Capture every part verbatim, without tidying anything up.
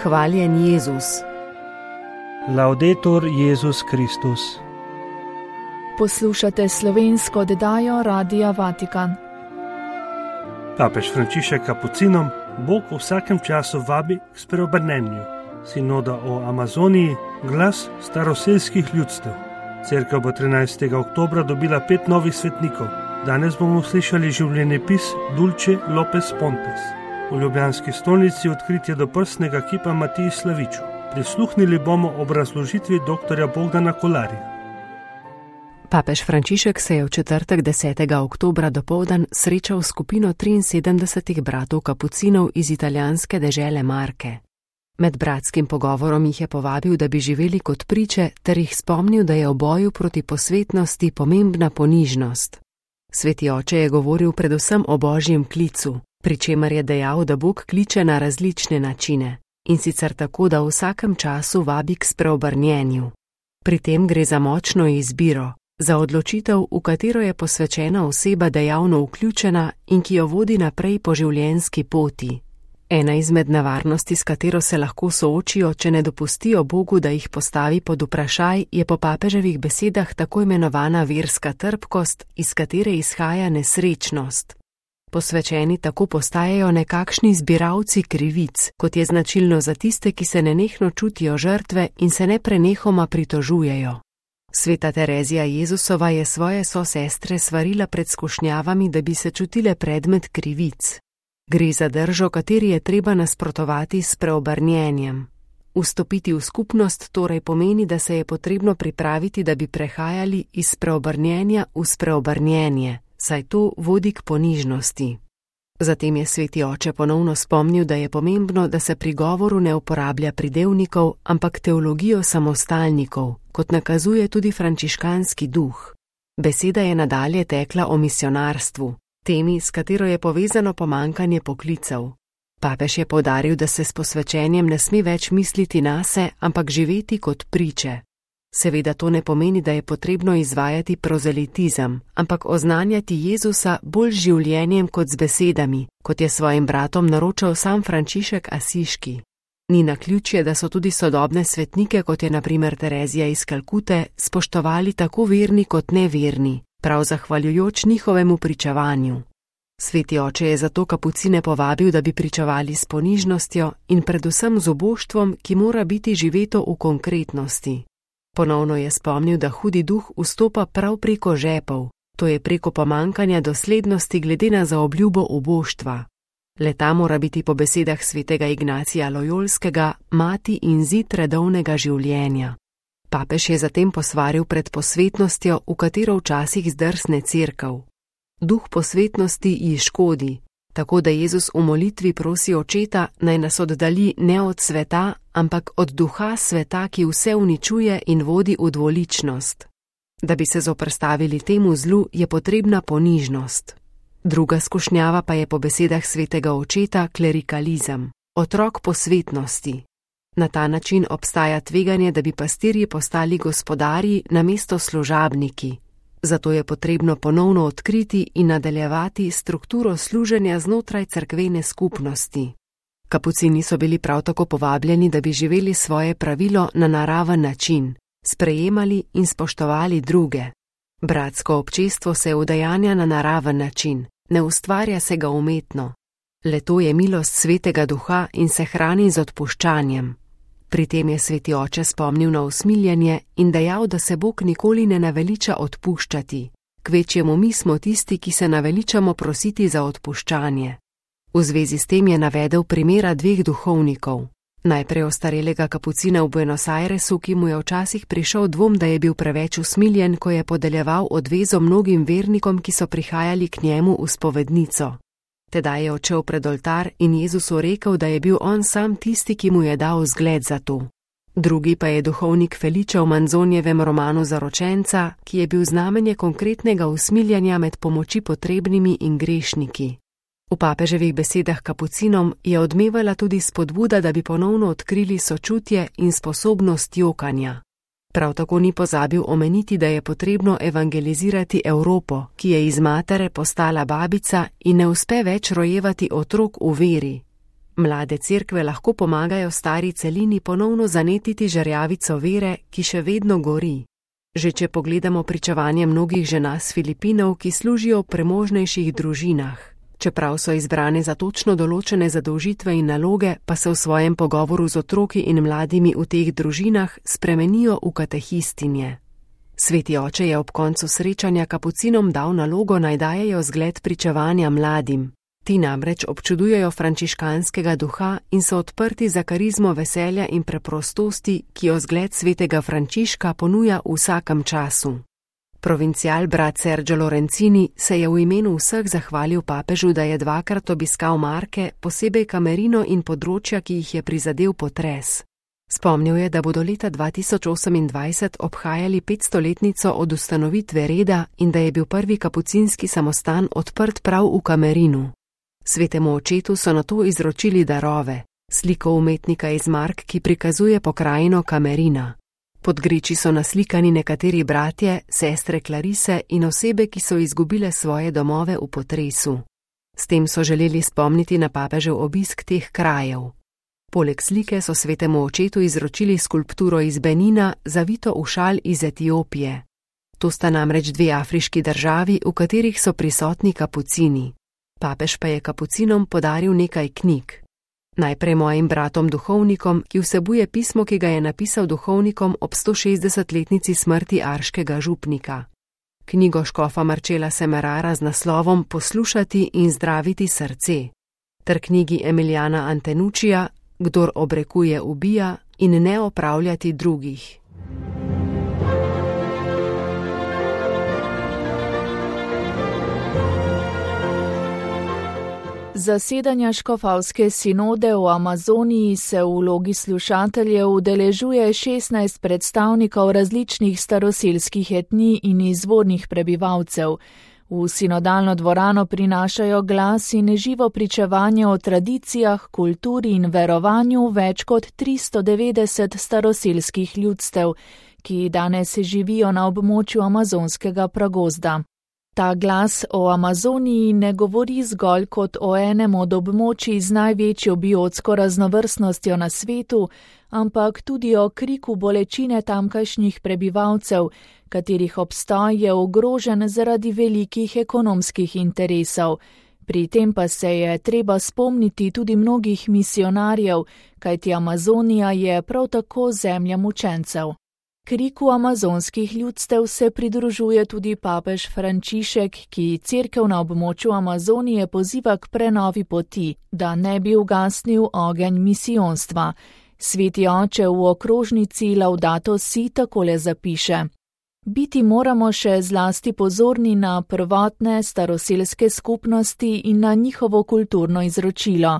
Hvaljen Jezus. Laudetur Jezus Kristus. Poslušate slovensko oddajo Radia Vatikan. Papež Frančišek kapucinom Bog v vsakem času vabi k spreobrnenju. Sinoda o Amazoniji, glas staroselskih ljudstev. Cerkev bo trinajstega oktobra dobila pet novih svetnikov. Danes bomo slišali življenjepis Dulce Lopez Pontes. V ljubljanski stolnici odkritje doprsnega kipa Matiji Slaviču. Prisluhnili bomo obrazložitvi doktorja Bogdana Kolarja. Papež Frančišek se je v četrtek desetega oktobra dopoldan srečal s skupino triinsedemdesetih bratov kapucinov iz italijanske dežele Marke. Med bratskim pogovorom jih je povabil, da bi živeli kot priče, ter jih spomnil, da je v boju proti posvetnosti pomembna ponižnost. Sveti oče je govoril predvsem o božjem klicu, pri čemer je dejal, da Bog kliče na različne načine, in sicer tako, da v vsakem času vabi k spreobrnjenju. Pri tem gre za močno izbiro, za odločitev, v katero je posvečena oseba dejavno vključena in ki jo vodi naprej po življenjski poti. Ena izmed nevarnosti, s katero se lahko soočijo, če ne dopustijo Bogu, da jih postavi pod vprašaj, je po papeževih besedah tako imenovana verska trpkost, iz katere izhaja nesrečnost. Posvečeni tako postajajo nekakšni zbiralci krivic, kot je značilno za tiste, ki se nenehno čutijo žrtve in se neprenehoma pritožujejo. Sveta Terezija Jezusova je svoje sosestre svarila pred skušnjavami, da bi se čutile predmet krivic. Gre za držo, kateri je treba nasprotovati s preobrnjenjem. Vstopiti v skupnost torej pomeni, da se je potrebno pripraviti, da bi prehajali iz preobrnjenja v spreobrnjenje, saj to vodi k ponižnosti. Zatem je sveti oče ponovno spomnil, da je pomembno, da se pri govoru ne uporablja pridevnikov, ampak teologijo samostalnikov, kot nakazuje tudi frančiškanski duh. Beseda je nadalje tekla o misionarstvu, temi, s katero je povezano pomankanje poklicev. Papež je poudaril, da se s posvečenjem ne sme več misliti nase, ampak živeti kot priče. Seveda to ne pomeni, da je potrebno izvajati prozelitizem, ampak oznanjati Jezusa bolj življenjem kot z besedami, kot je svojim bratom naročal sam Frančišek Asiški. Ni naključje, da so tudi sodobne svetnike, kot je na primer Terezija iz Kalkute, spoštovali tako verni kot neverni, prav zahvaljujoč njihovemu pričevanju. Sveti oče je zato kapucine povabil, da bi pričevali s ponižnostjo in predvsem z oboštvom, ki mora biti živeto v konkretnosti. Ponovno je spomnil, da hudi duh vstopa prav preko žepov, to je preko pomankanja doslednosti glede na zaobljubo oboštva. Leta mora biti po besedah svetega Ignacija Lojolskega mati in zid redovnega življenja. Papež je zatem posvaril pred posvetnostjo, v katero včasih zdrsne cerkev. Duh posvetnosti ji škodi, tako da Jezus v molitvi prosi očeta, naj nas oddalji ne od sveta, ampak od duha sveta, ki vse uničuje in vodi v dvoličnost. Da bi se zoprstavili temu zlu, je potrebna ponižnost. Druga skušnjava pa je po besedah svetega očeta klerikalizem, otrok posvetnosti. Na ta način obstaja tveganje, da bi pastirji postali gospodarji namesto služabniki. Zato je potrebno ponovno odkriti in nadaljevati strukturo služenja znotraj cerkvene skupnosti. Kapucini so bili prav tako povabljeni, da bi živeli svoje pravilo na naraven način, sprejemali in spoštovali druge. Bratsko občestvo se udejanja na naraven način, ne ustvarja se ga umetno. Le to je milost svetega duha in se hrani z odpuščanjem. Pri tem je sveti oče spomnil na usmiljenje in dejal, da se Bog nikoli ne naveliča odpuščati. Kvečjemu mi smo tisti, ki se naveličamo prositi za odpuščanje. V zvezi s tem je navedel primera dveh duhovnikov. Najprej ostarelega kapucina v Buenos Airesu, ki mu je včasih prišel dvom, da je bil preveč usmiljen, ko je podeljeval odvezo mnogim vernikom, ki so prihajali k njemu v spovednico. Tedaj je odšel pred oltar in Jezusu rekel, da je bil on sam tisti, ki mu je dal zgled za to. Drugi pa je duhovnik Felice v Manzonjevem romanu Zaročenca, ki je bil znamenje konkretnega usmiljanja med pomoči potrebnimi in grešniki. V papeževih besedah kapucinom je odmevala tudi spodbuda, da bi ponovno odkrili sočutje in sposobnost jokanja. Prav tako ni pozabil omeniti, da je potrebno evangelizirati Evropo, ki je iz matere postala babica in ne uspe več rojevati otrok v veri. Mlade cerkve lahko pomagajo stari celini ponovno zanetiti žarjavico vere, ki še vedno gori. Že če pogledamo pričevanje mnogih žena s Filipinov, ki služijo v premožnejših družinah. Čeprav so izbrane za točno določene zadolžitve in naloge, pa se v svojem pogovoru z otroki in mladimi v teh družinah spremenijo v katehistinje. Sveti oče je ob koncu srečanja kapucinom dal nalogo, naj dajejo zgled pričevanja mladim. Ti namreč občudujejo frančiškanskega duha in so odprti za karizmo veselja in preprostosti, ki jo zgled svetega Frančiška ponuja v vsakem času. Provincial brat Sergio Lorenzini se je v imenu vseh zahvalil papežu, da je dvakrat obiskal Marke, posebej Camerino in področja, ki jih je prizadel potres. Spomnil je, da bodo leta dva tisoč osemindvajset obhajali petstoletnico od ustanovitve reda in da je bil prvi kapucinski samostan odprt prav v Camerinu. Svetemu očetu so nato izročili darove, sliko umetnika iz Mark, ki prikazuje pokrajino Camerina. Pod griči so naslikani nekateri bratje, sestre Clarise in osebe, ki so izgubile svoje domove v potresu. S tem so želeli spomniti na papežev obisk teh krajev. Poleg slike so svetemu očetu izročili skulpturo iz Benina, zavito v šal iz Etiopije. To sta namreč dve afriški državi, v katerih so prisotni kapucini. Papež pa je kapucinom podaril nekaj knjig. Najprej mojim bratom duhovnikom, ki vsebuje pismo, ki ga je napisal duhovnikom ob stošestdesetletnici smrti arškega župnika. Knjigo škofa Marcela Semerara z naslovom Poslušati in zdraviti srce, ter knjigi Emiljana Antenuccija Kdor obrekuje ubija in ne opravljati drugih. Zasedanja škofavske sinode v Amazoniji se v vlogi slušateljev udeležuje šestnajst predstavnikov različnih staroselskih etnij in izvornih prebivalcev. V sinodalno dvorano prinašajo glas in živo pričevanje o tradicijah, kulturi in verovanju več kot tristo devetdeset staroselskih ljudstev, ki danes živijo na območju amazonskega pragozda. Ta glas o Amazoniji ne govori zgolj kot o enem od območij z največjo biotsko raznovrstnostjo na svetu, ampak tudi o kriku bolečine tamkajšnjih prebivalcev, katerih obstoj je ogrožen zaradi velikih ekonomskih interesov. Pri tem pa se je treba spomniti tudi mnogih misionarjev, kajti Amazonija je prav tako zemlja mučencev. Kriku amazonskih ljudstev se pridružuje tudi papež Frančišek, ki cerkev na območju Amazonije poziva k prenovi poti, da ne bi ugasnil ogenj misijonstva. Sveti oče v okrožnici Laudato Si takole zapiše: Biti moramo še zlasti pozorni na prvotne staroselske skupnosti in na njihovo kulturno izročilo.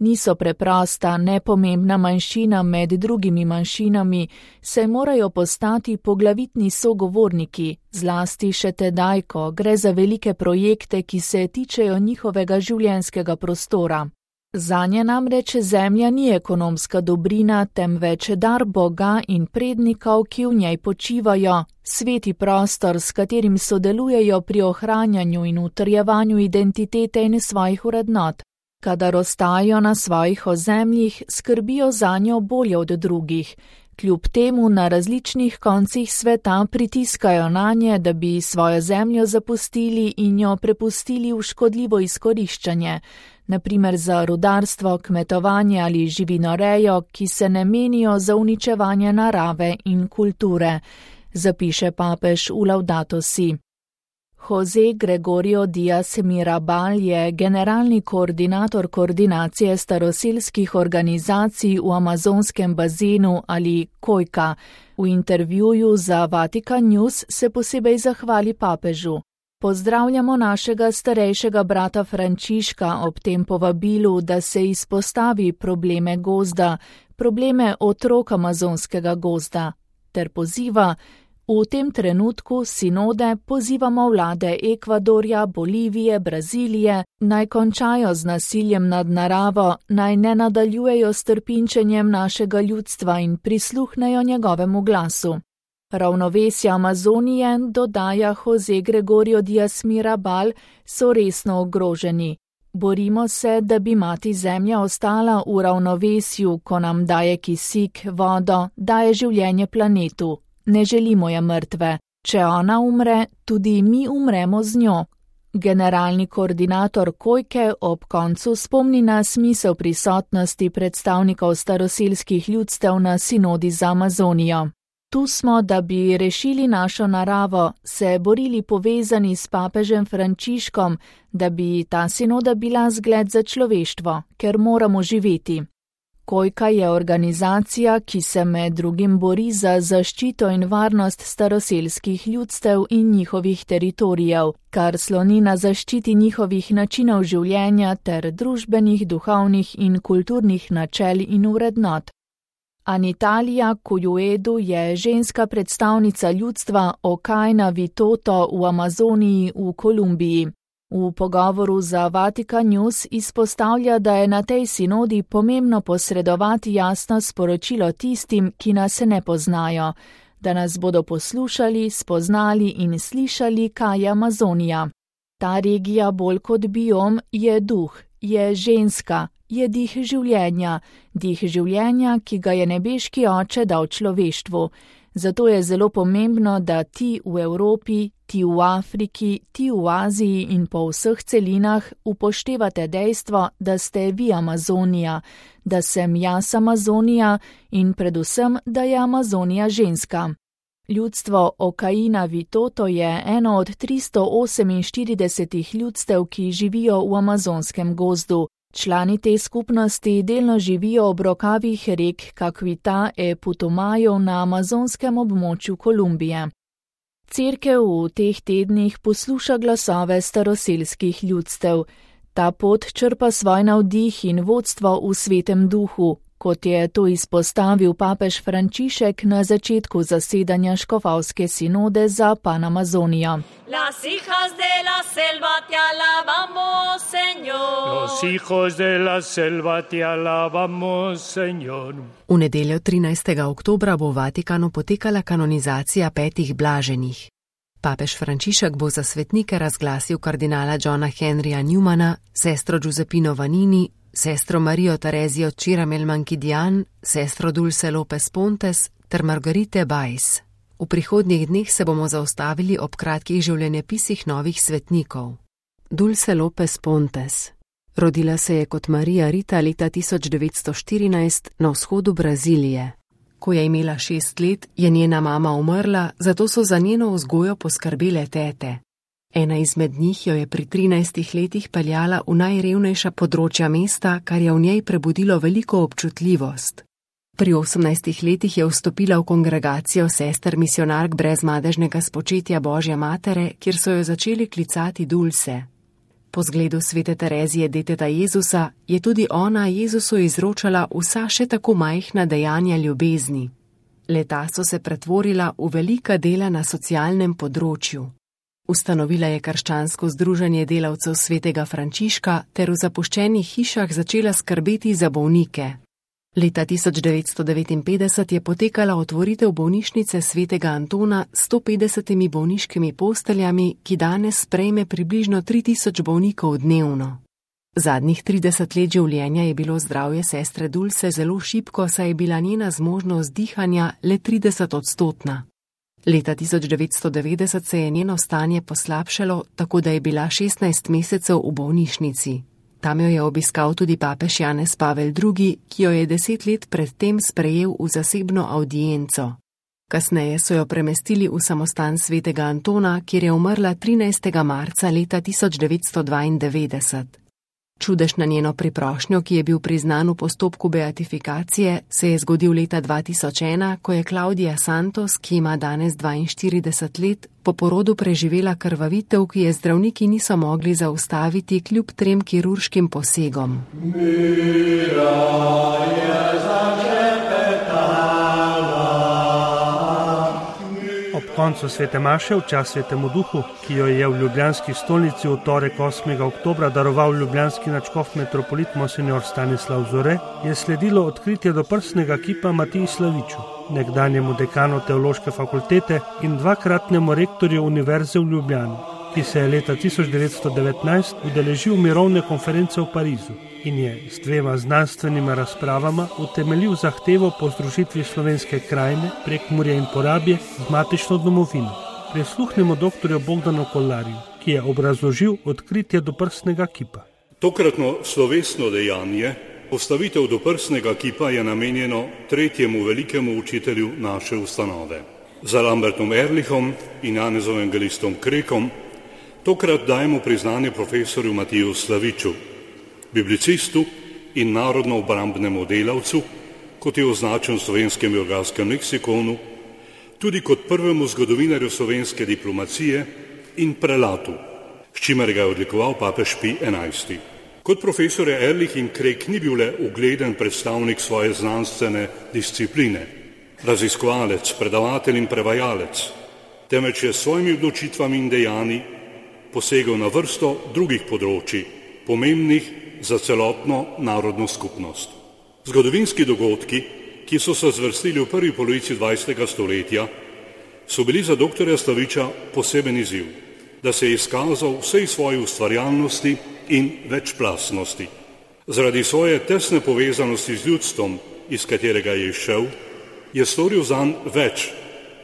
Niso preprosta, nepomembna manjšina med drugimi manjšinami, saj morajo postati poglavitni sogovorniki, zlasti še tedaj, ko gre za velike projekte, ki se tičejo njihovega življenjskega prostora. Zanje namreč zemlja ni ekonomska dobrina, temveč dar Boga in prednikov, ki v njej počivajo, sveti prostor, s katerim sodelujejo pri ohranjanju in utrjevanju identitete in svojih vrednot. Kadar ostajajo na svojih ozemljih, skrbijo zanjo bolje od drugih. Kljub temu na različnih koncih sveta pritiskajo nanje, da bi svojo zemljo zapustili in jo prepustili v škodljivo izkoriščanje, naprimer za rudarstvo, kmetovanje ali živinorejo, ki se ne menijo za uničevanje narave in kulture, zapiše papež v Laudato Si. Jose Gregorio Díaz Mirabal je generalni koordinator koordinacije staroselskih organizacij v amazonskem bazenu ali Kojka. V intervjuju za Vatikan News se posebej zahvali papežu. Pozdravljamo našega starejšega brata Frančiška ob tem povabilu, da se izpostavi probleme gozda, probleme otrok amazonskega gozda, ter poziva: V tem trenutku sinode pozivamo vlade Ekvadorja, Bolivije, Brazilije, naj končajo z nasiljem nad naravo, naj ne nadaljujejo s trpinčenjem našega ljudstva in prisluhnejo njegovemu glasu. Ravnovesje Amazonije, dodaja Jose Gregorio Díaz Mirabal, so resno ogroženi. Borimo se, da bi mati zemlja ostala v ravnovesju, ko nam daje kisik, vodo, daje življenje planetu. Ne želimo je mrtve. Če ona umre, tudi mi umremo z njo. Generalni koordinator Kojke ob koncu spomni na smisel prisotnosti predstavnikov staroselskih ljudstev na sinodi za Amazonijo. Tu smo, da bi rešili našo naravo, se borili povezani s papežem Frančiškom, da bi ta sinoda bila zgled za človeštvo, ker moramo živeti. Kojka je organizacija, ki se med drugim bori za zaščito in varnost staroselskih ljudstev in njihovih teritorijev, kar sloni na zaščiti njihovih načinov življenja ter družbenih, duhovnih in kulturnih načel in vrednot. Anitalija Kujuedu je ženska predstavnica ljudstva Okaina Vitoto v Amazoniji v Kolumbiji. V pogovoru za Vatikan News izpostavlja, da je na tej sinodi pomembno posredovati jasno sporočilo tistim, ki nas ne poznajo, da nas bodo poslušali, spoznali in slišali, kaj je Amazonija. Ta regija bolj kot biom je duh, je ženska, je dih življenja, dih življenja, ki ga je nebeški oče dal človeštvu. Zato je zelo pomembno, da ti v Evropi, ti v Afriki, ti v Aziji in po vseh celinah upoštevate dejstvo, da ste vi Amazonija, da sem jaz Amazonija in predvsem, da je Amazonija ženska. Ljudstvo Okaina Vitoto je eno od tristo oseminštirideset ljudstev, ki živijo v amazonskem gozdu. Člani te skupnosti delno živijo ob rokavih rek Caquita e Putumayo na amazonskem območju Kolumbije. Cerkev v teh tednih posluša glasove staroselskih ljudstev. Ta pot črpa svoj navdih in vodstvo v svetem duhu, kot je to izpostavil papež Frančišek na začetku zasedanja škofovske sinode za Panamazonijo. Las hijas de la selva te alabamos, Señor. Los hijos de la selva te alabamos, Señor. V nedeljo trinajstega oktobra bo v Vatikanu potekala kanonizacija petih blaženih. Papež Frančišek bo za svetnike razglasil kardinala Johna Henryja Newmana, sestro Giuseppino Vanini, sestro Marijo Terezijo Chiramel Mankidian, sestro Dulce Lopez Pontes ter Margarite Bajs. V prihodnjih dneh se bomo zaustavili ob kratkih življenjepisih novih svetnikov. Dulce Lopez Pontes. Rodila se je kot Marija Rita leta tisoč devetsto štirinajst na vzhodu Brazilije. Ko je imela šest let, je njena mama umrla, zato so za njeno vzgojo poskrbele tete. Ena izmed njih jo je pri trinajstih letih peljala v najrevnejša področja mesta, kar je v njej prebudilo veliko občutljivost. Pri osemnajstih letih je vstopila v kongregacijo sester misionark brez madežnega spočetja Božje matere, kjer so jo začeli klicati Dulce. Po zgledu svete Terezije deteta Jezusa je tudi ona Jezusu izročala vsa še tako majhna dejanja ljubezni. Leta so se pretvorila v velika dela na socialnem področju. Ustanovila je krščansko združenje delavcev svetega Frančiška ter v zapuščenih hišah začela skrbeti za bolnike. Leta tisoč devetsto devetinpetdeset je potekala otvoritev bolnišnice svetega Antona s sto petdesetimi bolniškimi posteljami, ki danes sprejme približno tri tisoč bolnikov dnevno. Zadnjih trideset let življenja je bilo zdravje sestre Dulce zelo šibko, saj je bila njena zmožnost dihanja le trideset odstotna. Leta tisoč devetsto devetdeset se je njeno stanje poslabšalo, tako da je bila šestnajst mesecev v bolnišnici. Tam jo je obiskal tudi papež Janez Pavel drugi, ki jo je deset let predtem sprejel v zasebno avdienco. Kasneje so jo premestili v samostan svetega Antona, kjer je umrla trinajstega marca leta tisoč devetsto dvaindevetdeset. Čudež na njeno priprošnjo, ki je bil priznan v postopku beatifikacije, se je zgodil leta dva tisoč ena, ko je Claudia Santos, ki ima danes dvainštirideset let, po porodu preživela krvavitev, ki je zdravniki niso mogli zaustaviti kljub trem kirurškim posegom. Ob koncu svete maše v čast svetemu duhu, ki jo je v ljubljanski stolnici v torek osmega oktobra daroval ljubljanski nadškof metropolit monsignor Stanislav Zore, je sledilo odkritje doprsnega kipa Matiji Slaviču, nekdanjemu dekanu teološke fakultete in dvakratnemu rektorju Univerze v Ljubljani. ki se je leta tisoč devetsto devetnajst udeležil mirovne konference v Parizu in je s dvema znanstvenima razpravama utemeljil zahtevo po združitvi slovenske krajine, Prekmurja in Porabje z matično domovino. Prisluhnemo doktorju Bogdanu Kolarju, ki je obrazložil odkritje doprsnega kipa. Tokratno slovesno dejanje, postavitev doprsnega kipa, je namenjeno tretjemu velikemu učitelju naše ustanove. Za Lambertom Erlichom in Janezom Evangelistom Krekom tokrat dajemo priznanje profesorju Matiju Slaviču, biblicistu in narodno-obrambnemu delavcu, kot je označen v slovenskem biografskem leksikonu, tudi kot prvemu zgodovinarju slovenske diplomacije in prelatu, s čimer ga je odlikoval papež Pij enajsti. Kot profesor Erlich in Krek ni bil le ugleden predstavnik svoje znanstvene discipline, raziskovalec, predavatelj in prevajalec, temveč je s svojimi odločitvami in dejanji posegel na vrsto drugih področji, pomembnih za celotno narodno skupnost. Zgodovinski dogodki, ki so se zvrstili v prvi polovici dvajsetega stoletja, so bili za doktorja Slaviča poseben izziv, da se je izkazal vsej svoji ustvarjalnosti in večplastnosti. Zaradi svoje tesne povezanosti z ljudstvom, iz katerega je izšel, je storil zanj več,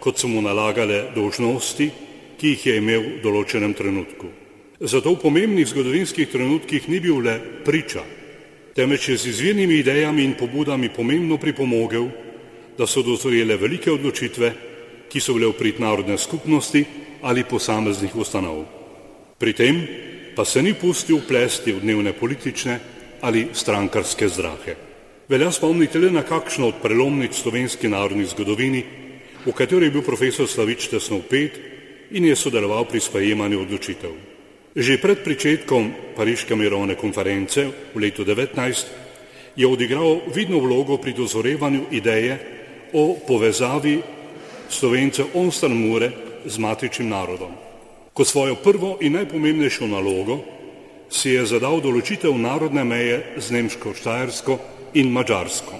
kot so mu nalagale dolžnosti, ki jih je imel v določenem trenutku. Zato v pomembnih zgodovinskih trenutkih ni bil le priča, temveč je z izvirnimi idejami in pobudami pomembno pripomogel, da so dozorele velike odločitve, ki so bile v prid narodne skupnosti ali posameznih ustanov. Pri tem pa se ni pustil plesti v dnevne politične ali strankarske zdrahe. Velja spomniti le na kakšno od prelomnic slovenski narodni zgodovini, v kateri je bil profesor Slavič tesno vpet in je sodeloval pri sprejemanju odločitev. Že pred pričetkom Pariške mirovne konference v letu devetnajst je odigral vidno vlogo pri dozorevanju ideje o povezavi Slovencev onstran Mure z matičnim narodom. Kot svojo prvo in najpomembnejšo nalogo si je zadal določitev narodne meje z Nemško, Štajersko in Madžarsko.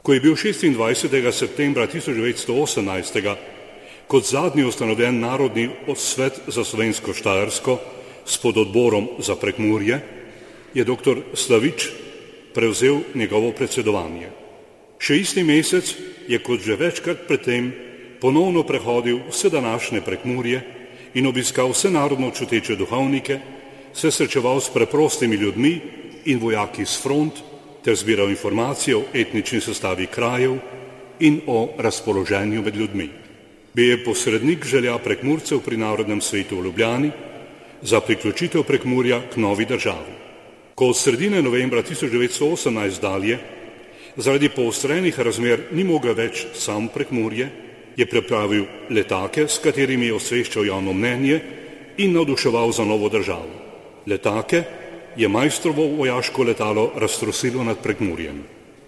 Ko je bil šestindvajsetega septembra tisoč devetsto osemnajst kot zadnji ustanovljen Narodni svet za Slovensko Štajersko s pododborom za Prekmurje, je doktor Slavič prevzel njegovo predsedovanje. Še isti mesec je, kot že večkrat predtem, ponovno prehodil vse današnje Prekmurje in obiskal vse narodno čuteče duhovnike, se srečeval s preprostimi ljudmi in vojaki z front ter zbiral informacije o etnični sestavi krajev in o razpoloženju med ljudmi. Bil je posrednik želja Prekmurcev pri Narodnem svetu v Ljubljani za priključitev Prekmurja k novi državi. Ko od sredine novembra tisoč devetsto osemnajst dalje zaradi poostrenih razmer ni mogel več sam Prekmurje, je pripravil letake, s katerimi je osveščal javno mnenje in navduševal za novo državo. Letake je majstrovo vojaško letalo raztrosilo nad Prekmurjem.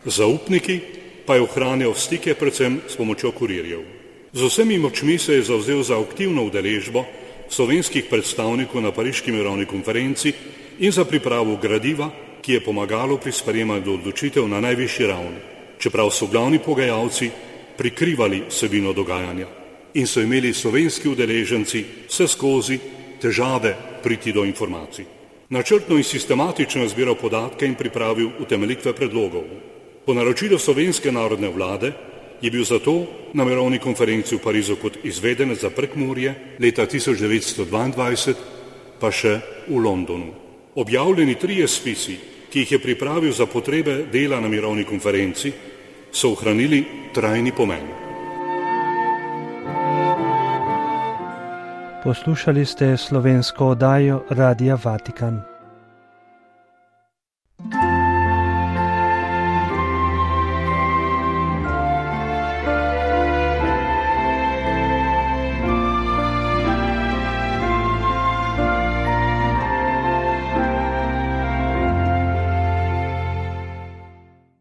Zaupniki pa je ohranjal stike predvsem s pomočjo kurirjev. Z vsemi močmi se je zavzel za aktivno udeležbo slovenskih predstavnikov na Pariški mirovni konferenci in za pripravo gradiva, ki je pomagalo pri sprejemanju odločitev na najvišji ravni, čeprav so glavni pogajalci prikrivali vsebino dogajanja in so imeli slovenski udeleženci vse skozi težave priti do informacij. Načrtno in sistematično je zbiral podatke in pripravil utemeljitve predlogov. Po naročilu slovenske narodne vlade je bil zato na mirovni konferenci v Parizu kot izvedenec za Prekmurje, leta tisoč devetsto dvaindvajset pa še v Londonu. Objavljeni trije spisi, ki jih je pripravil za potrebe dela na mirovni konferenci, so ohranili trajni pomen. Poslušali ste slovensko oddajo Radia Vatikan.